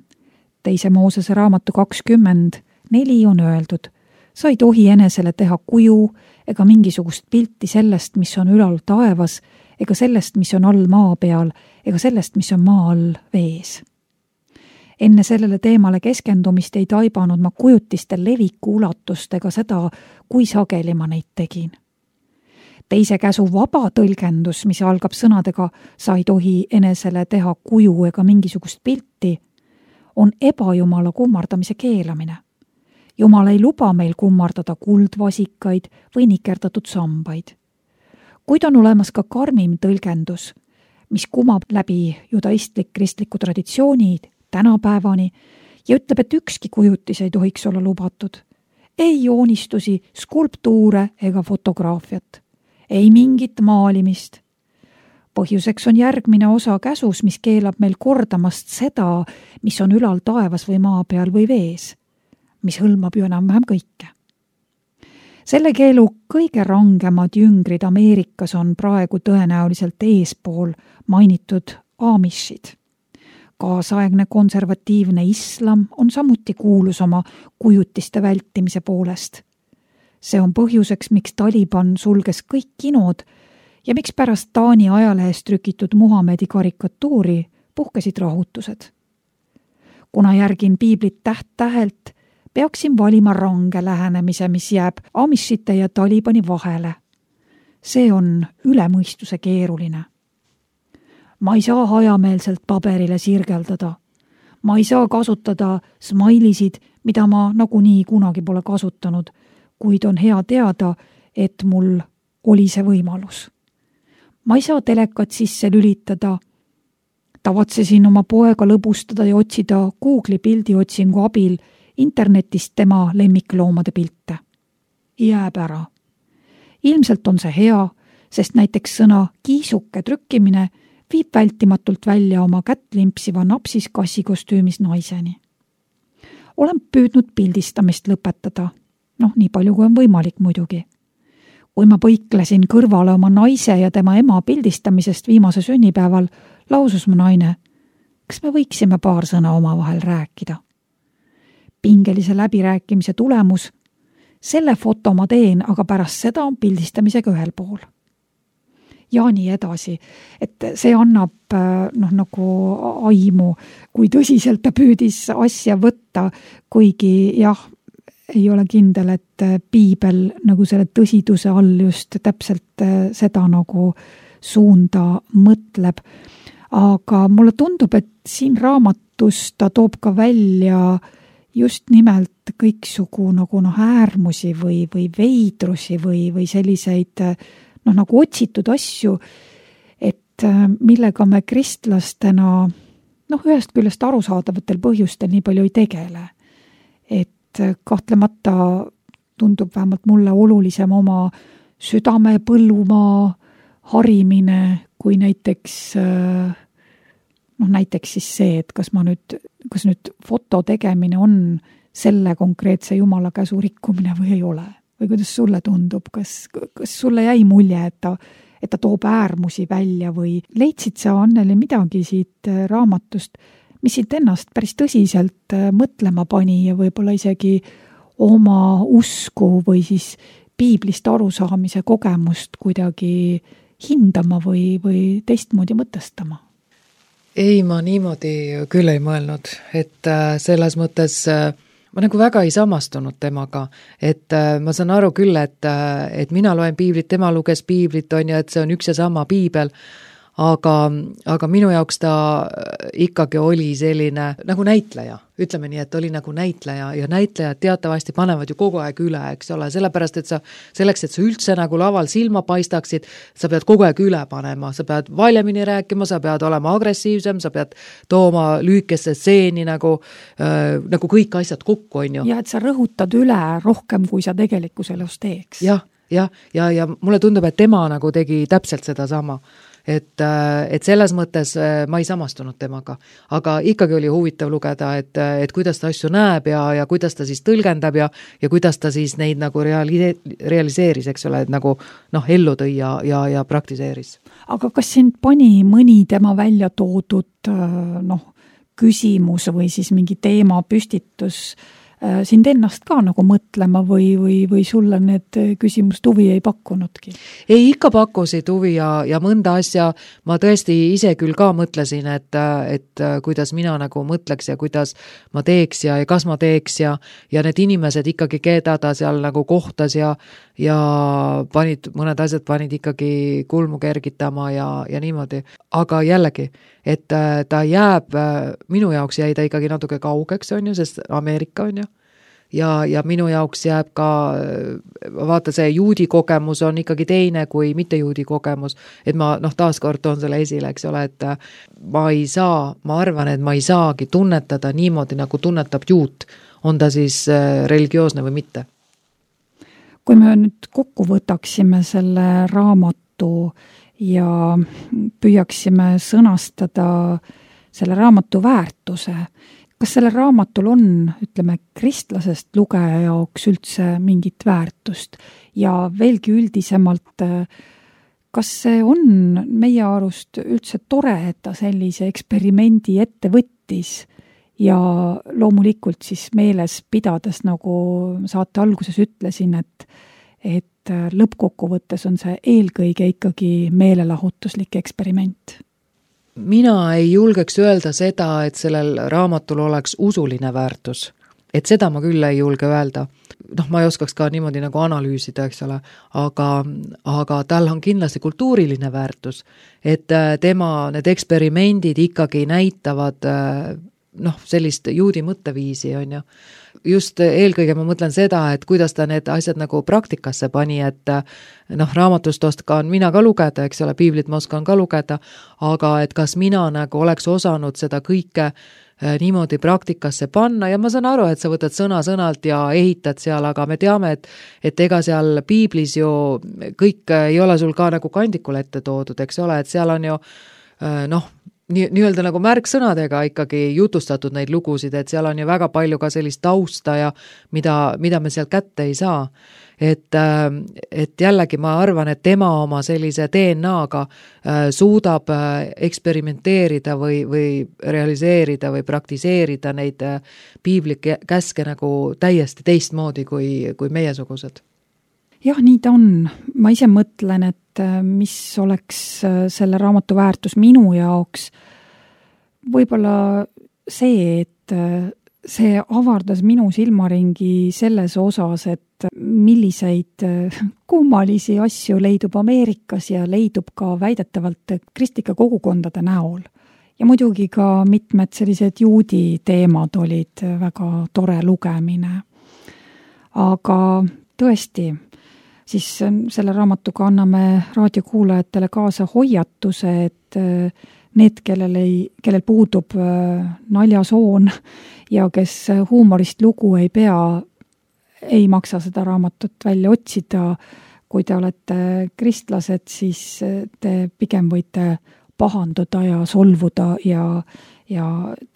Teise Moosese raamatu kakskümmend neli on öeldud, sa ei tohi enesele teha kuju ega mingisugust pilti sellest, mis on ülal taevas, ega sellest, mis on all maa peal, ega sellest, mis on maa all vees. Enne sellele teemale keskendumist ei taibanud ma kujutiste leviku ulatust ega seda, kui sageli ma neid tegin. Teise käsu vaba tõlgendus, mis algab sõnadega sa ei tohi enesele teha kuju ega mingisugust pilti, on ebajumala kummardamise keelamine. Jumal ei luba meil kummardada kuldvasikaid või nikerdatud sambaid. Kuid on olemas ka karmim tõlgendus, mis kumab läbi judaistlik kristliku traditsiooni tänapäevani ja ütleb, et ükski kujutis ei tohiks olla lubatud. Ei joonistusi, skulptuure ega fotograafiat. Ei mingit maalimist. Põhjuseks on järgmine osa käsus, mis keelab meil kordamast seda, mis on ülal taevas või maa peal või vees, mis hõlmab ju enam-vähem kõike. Selle keelu kõige rangemad jüngrid Ameerikas on praegu tõenäoliselt eespool mainitud Amishid. Kaasaegne konservatiivne islam on samuti kuulus oma kujutiste vältimise poolest. See on põhjuseks, miks Taliban sulges kõik kinod ja miks pärast Taani ajalehes trükitud Muhamedi karikatuuri puhkesid rahutused. Kuna järgin piiblit täht-tähelt, peaksin valima range lähenemise, mis jääb Amishite ja Talibani vahele. See on üle mõistuse keeruline. Ma ei saa hajameelselt paberile sirgeldada. Ma ei saa kasutada smailisid, mida ma nagunii kunagi pole kasutanud, kuid on hea teada, et mul oli see võimalus. Ma ei saa telekat sisse lülitada. Tavatsesin oma poega lõbustada ja otsida Google'i pildiotsingu abil internetist tema lemmikloomade pilte. Jääb ära. Ilmselt on see hea, sest näiteks sõna kiisuke trükkimine viib vältimatult välja oma kättlimpsiva napsis kassikostüümis naiseni. Olen püüdnud pildistamist lõpetada. Noh, nii palju kui on võimalik muidugi. Kui ma põiklesin kõrvale oma naise ja tema ema pildistamisest viimase sünnipäeval, lausus mu naine, kas me võiksime paar sõna omavahel rääkida. Pingelise läbirääkimise tulemus, selle foto ma teen, aga pärast seda on pildistamisega ühel pool. Ja nii edasi, et see annab noh, nagu aimu, kui tõsiselt ta püüdis asja võtta, kuigi jah, ei ole kindel, et piibel nagu selle tõsiduse all just täpselt seda nagu suunda mõtleb. Aga mulle tundub, et siin raamatus ta toob ka välja just nimelt kõiksugu nagu noh, äärmusi või, või veidrusi või, või selliseid noh, nagu otsitud asju, et millega me kristlastena noh, ühest küljest arusaadavatel põhjustel nii palju ei tegele. Et kahtlemata tundub vähemalt mulle olulisem oma südame põllumaa harimine, kui näiteks noh, näiteks siis see, et kas ma nüüd, kas nüüd foto tegemine on selle konkreetse jumala käsu rikkumine või ei ole. Või kuidas sulle tundub, kas, kas sulle jäi mulje, et ta, et ta toob äärmusi välja või leidsid sa, Anneli, midagi siit raamatust, mis siit ennast päris tõsiselt mõtlema pani ja võib-olla isegi oma usku või siis piiblist arusaamise kogemust kuidagi hindama või, või teistmoodi mõtestama? Ei, ma niimoodi küll ei mõelnud, et selles mõttes ma nagu väga ei samastunud temaga, et ma saan aru küll, et, et mina loen piiblit, tema luges piiblit, on ju, et see on üks ja sama piibel, aga, aga minu jaoks ta ikkagi oli selline nagu näitleja, ütleme nii, et oli nagu näitleja ja näitlejad teatavasti panevad ju kogu aeg üle, eks ole, sellepärast, et sa selleks, et sa üldse nagu laval silma paistaksid, sa pead kogu aeg üle panema, sa pead valjemini rääkima, sa pead olema agressiivsem, sa pead tooma lühikesse stseeni nagu, äh, nagu kõik asjad kokku, on ju. Ja et sa rõhutad üle rohkem, kui sa tegelikus elus teeks. Jah, ja, ja, ja mulle tundub, et tema nagu tegi täpselt seda sama. Et, et selles mõttes ma ei samastunud temaga, aga ikkagi oli huvitav lugeda, et, et kuidas ta asju näeb ja, ja kuidas ta siis tõlgendab ja, ja kuidas ta siis neid nagu reali-, realiseeris, eks ole, et nagu noh, ellu tõi ja, ja, ja praktiseeris. Aga kas sind pani mõni tema välja toodud noh, küsimus või siis mingi teema püstitus sind ennast ka nagu mõtlema või, või, või sulle need küsimused huvi ei pakkunudki? Ei, ikka pakkusid huvi ja, ja mõnda asja ma tõesti ise küll ka mõtlesin, et, et kuidas mina nagu mõtleks ja kuidas ma teeks ja, ja kas ma teeks ja, ja need inimesed ikkagi, keda ta seal nagu kohtas ja, ja panid, mõned asjad panid ikkagi kulmu kergitama ja, ja niimoodi. Aga jällegi, et ta jääb, minu jaoks jäi ta ikkagi natuke kaugeks, on ju, sest Ameerika on ju, ja, ja minu jaoks jääb ka, vaata see juudi kogemus on ikkagi teine kui mitte juudi kogemus, et ma noh, taaskord toon selle esile, eks ole, et ma ei saa, ma arvan, et ma ei saagi tunnetada niimoodi, nagu tunnetab juut, on ta siis religioosne või mitte. Kui me nüüd kokku võtaksime selle raamatu ja püüaksime sõnastada selle raamatu väärtuse. Kas sellel raamatul on, ütleme, kristlasest lugeja jaoks üldse mingit väärtust? Ja veelgi üldisemalt, kas see on meie arust üldse tore, et ta sellise eksperimendi ette võttis ja loomulikult siis meeles pidades, nagu saate alguses ütlesin, et et lõppkokkuvõttes on see eelkõige ikkagi meelelahutuslik eksperiment? Mina ei julgeks öelda seda, et sellel raamatul oleks usuline väärtus. Et seda ma küll ei julge öelda. Noh, ma ei oskaks ka niimoodi nagu analüüsida, eks ole, aga, aga tal on kindlasti kultuuriline väärtus, et tema need eksperimendid ikkagi näitavad noh, sellist juudi mõtteviisi, on ju. Just eelkõige ma mõtlen seda, et kuidas ta need asjad nagu praktikasse pani, et noh, raamatust oskan mina ka lugeda, eks ole, piiblit ma oskan ka lugeda, aga et kas mina nagu oleks osanud seda kõike niimoodi praktikasse panna ja ma saan aru, et sa võtad sõna-sõnalt ja ehitad seal, aga me teame, et, et ega seal piiblis ju kõik ei ole sul ka nagu kandikul ette toodud, eks ole, et seal on ju noh, nii, nii-öelda nagu märksõnadega ikkagi jutustatud neid lugusid, et seal on ju väga palju ka sellist tausta ja mida, mida me seal kätte ei saa. Et, et jällegi ma arvan, et tema oma sellise D N A-ga suudab eksperimenteerida või, või realiseerida või praktiseerida neid piibli käske nagu täiesti teistmoodi kui, kui meiesugused. Jah, nii ta on. Ma ise mõtlen, et mis oleks selle raamatu väärtus minu jaoks. Võib-olla see, et see avardas minu silmaringi selles osas, et milliseid kummalisi asju leidub Ameerikas ja leidub ka väidetavalt kristlike kogukondade näol. Ja muidugi ka mitmed sellised juudi teemad olid väga tore lugemine. Aga tõesti, siis selle raamatuga anname raadiokuulajatele kaasa hoiatuse, et need, kellel, ei, kellel puudub naljasoon ja kes huumorist lugu ei pea, ei maksa seda raamatut välja otsida. Kui te olete kristlased, siis te pigem võite pahanduda ja solvuda ja ja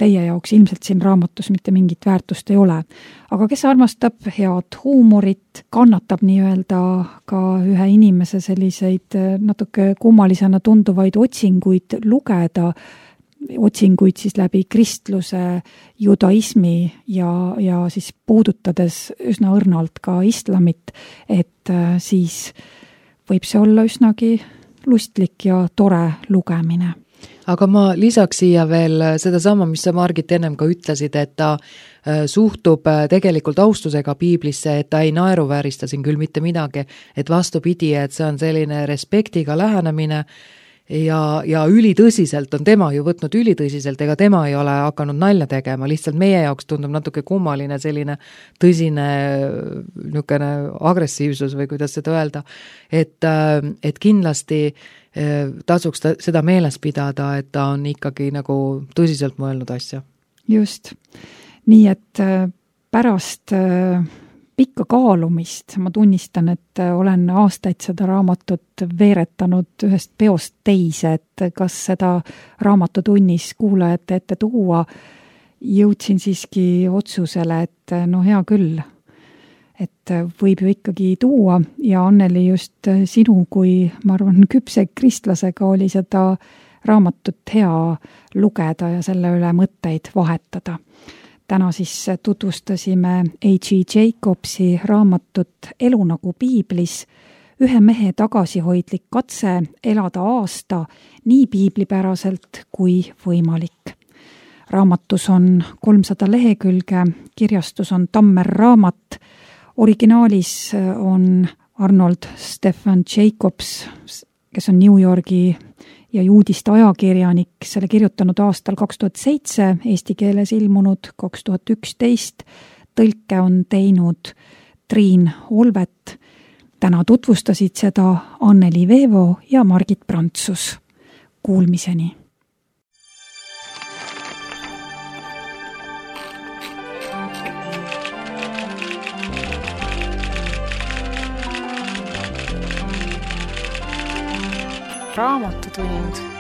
teie jaoks ilmselt siin raamatus mitte mingit väärtust ei ole. Aga kes armastab head huumorit, kannatab nii-öelda ka ühe inimese selliseid natuke kummalisena tunduvaid otsinguid lugeda, otsinguid siis läbi kristluse, judaismi ja, ja siis puudutades üsna õrnalt ka islamit, et siis võib see olla üsnagi lustlik ja tore lugemine. Aga ma lisaks siia veel seda sama, mis sa Margit ennem ka ütlesid, et ta suhtub tegelikult austusega piiblisse, et ta ei naeruväärista siin küll mitte midagi, et vastupidi, et see on selline respektiga lähenemine ja, ja ülitõsiselt on tema ju võtnud ülitõsiselt, ega tema ei ole hakanud nalja tegema, lihtsalt meie jaoks tundub natuke kummaline selline tõsine niisugune agressiivsus või kuidas seda öelda, et, et kindlasti tasuks ta, seda meeles pidada, et ta on ikkagi nagu tõsiselt mõelnud asja. Just. Nii et pärast pikka kaalumist ma tunnistan, et olen aastaid seda raamatut veeretanud ühest peost teise, et kas seda raamatutunnis kuulajate ette tuua, jõudsin siiski otsusele, et no hea küll, et võib ju ikkagi tuua ja Anneli just sinu kui, ma arvan, küpse kristlasega oli seda raamatut hea lugeda ja selle üle mõtteid vahetada. Täna siis tutvustasime A G Jacobsi raamatut Elu nagu piiblis, ühe mehe tagasihoidlik katse elada aasta nii piiblipäraselt kui võimalik. Raamatus on kolmsada lehekülge, kirjastus on Tammer raamat, originaalis on Arnold Stephen Jacobs, kes on New Yorgi ja juudiste ajakirjanik, selle kirjutanud aastal kaks tuhat seitse, eesti keeles ilmunud kaks tuhat üksteist, tõlke on teinud Triin Olvet. Täna tutvustasid seda Anneli Veevo ja Margit Prantsus. Kuulmiseni! Raamatutund.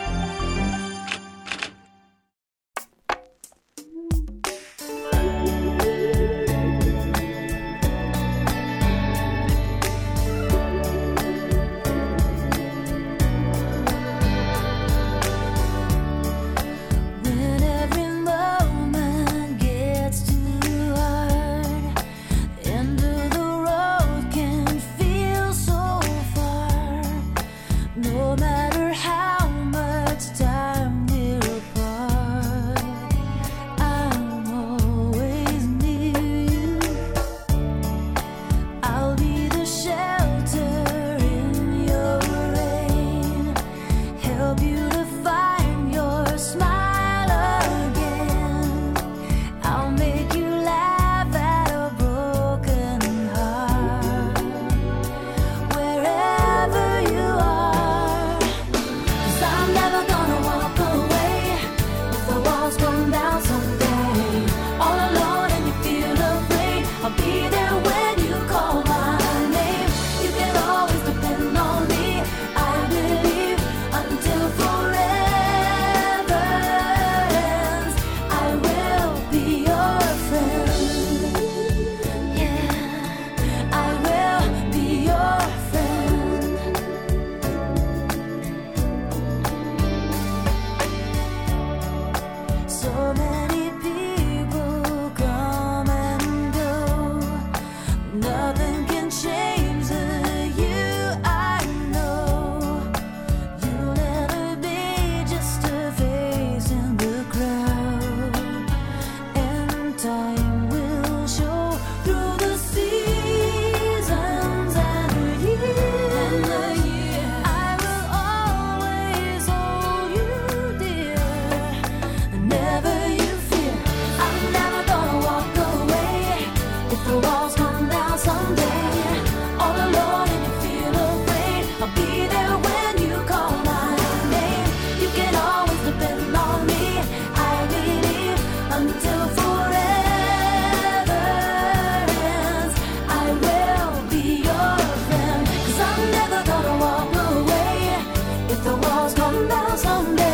The walls come down someday.